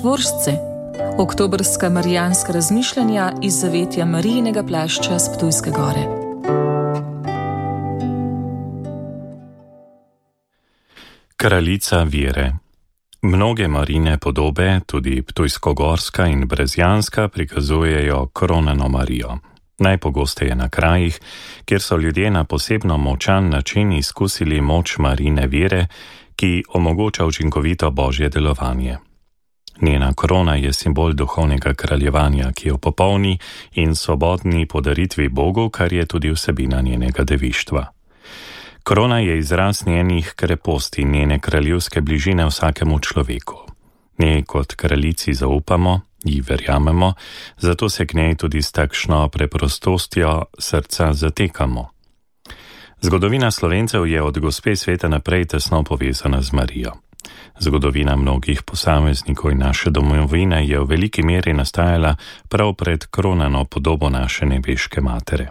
Šentvoržce, oktobrska marijanska razmišljanja iz zavetja Marijinega plašča s Ptujske gore. Kraljica vere. Mnoge Marijine podobe, tudi ptujskogorska in brezjanska, prikazujejo kronano Marijo. Najpogosteje na krajih, kjer so ljudje na posebno močan način izkusili moč Marijine vere, ki omogoča učinkovito božje delovanje. Njena krona je simbol duhovnega kraljevanja, ki jo popolni in svobodni podaritvi Bogu, kar je tudi vsebina njenega devištva. Krona je izraz njenih kreposti in njene kraljevske bližine vsakemu človeku. Njej kot kraljici zaupamo, ji verjamemo, zato se k njej tudi s takšno preprostostjo srca zatekamo. Zgodovina Slovencev je od gospe sveta naprej tesno povezana z Marijo. Zgodovina mnogih posameznikov in naše domovine je v veliki meri nastajala prav pred kronano podobo naše nebeške matere.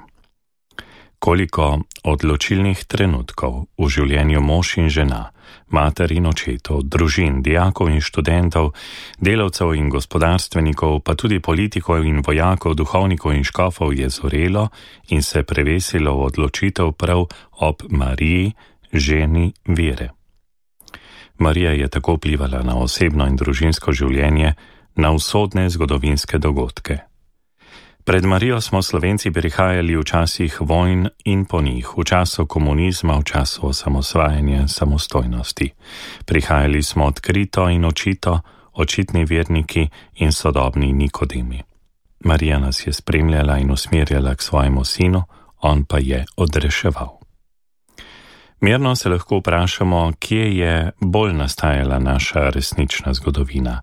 Koliko odločilnih trenutkov v življenju mož in žena, mater in očetov, družin, dijakov in študentov, delavcev in gospodarstvenikov, pa tudi politikov in vojakov, duhovnikov in škofov je zorelo in se prevesilo v odločitev prav ob Mariji, ženi vere. Marija je tako vplivala na osebno in družinsko življenje, na usodne zgodovinske dogodke. Pred Marijo smo Slovenci prihajali v časih vojn in po njih, v času komunizma, v času osamosvajanja, samostojnosti. Prihajali smo odkrito in očito, očitni verniki in sodobni Nikodemi. Marija nas je spremljala in usmerjala k svojemu sinu, on pa je odreševal. Mirno se lahko vprašamo, kje je bolj nastajala naša resnična zgodovina,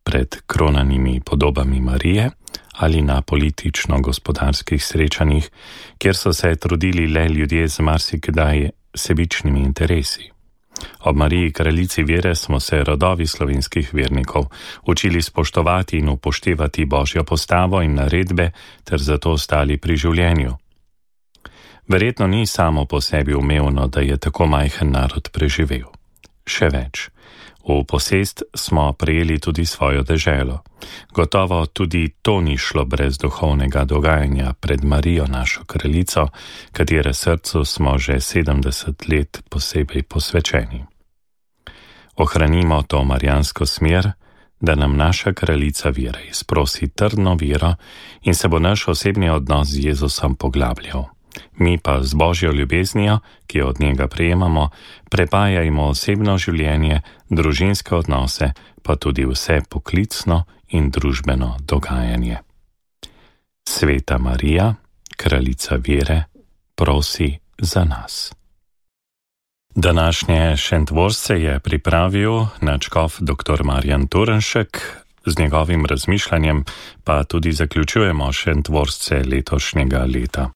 pred kronanimi podobami Marije ali na politično-gospodarskih srečanjih, kjer so se trudili le ljudje z marsikdaj sebičnimi interesi. Ob Mariji kraljici vere smo se rodovi slovenskih vernikov učili spoštovati in upoštevati božjo postavo in naredbe ter zato ostali pri življenju. Verjetno ni samo po sebi umevno, da je tako majhen narod preživel. Še več, v posest smo prejeli tudi svojo deželo. Gotovo tudi to ni šlo brez duhovnega dogajanja pred Marijo, našo kraljico, katere srcu smo že 70 let posebej posvečeni. Ohranimo to marijansko smer, da nam naša kraljica vere izprosi trdno vero in se bo naš osebni odnos z Jezusom poglabljal. Mi pa z božjo ljubeznijo, ki jo od njega prejemamo, prepajajmo osebno življenje, družinske odnose, pa tudi vse poklicno in družbeno dogajanje. Sveta Marija, kraljica vere, prosi za nas. Današnje Šentvoržce je pripravil nadškof dr. Marjan Turnšek, z njegovim razmišljanjem pa tudi zaključujemo Šentvoržce letošnjega leta.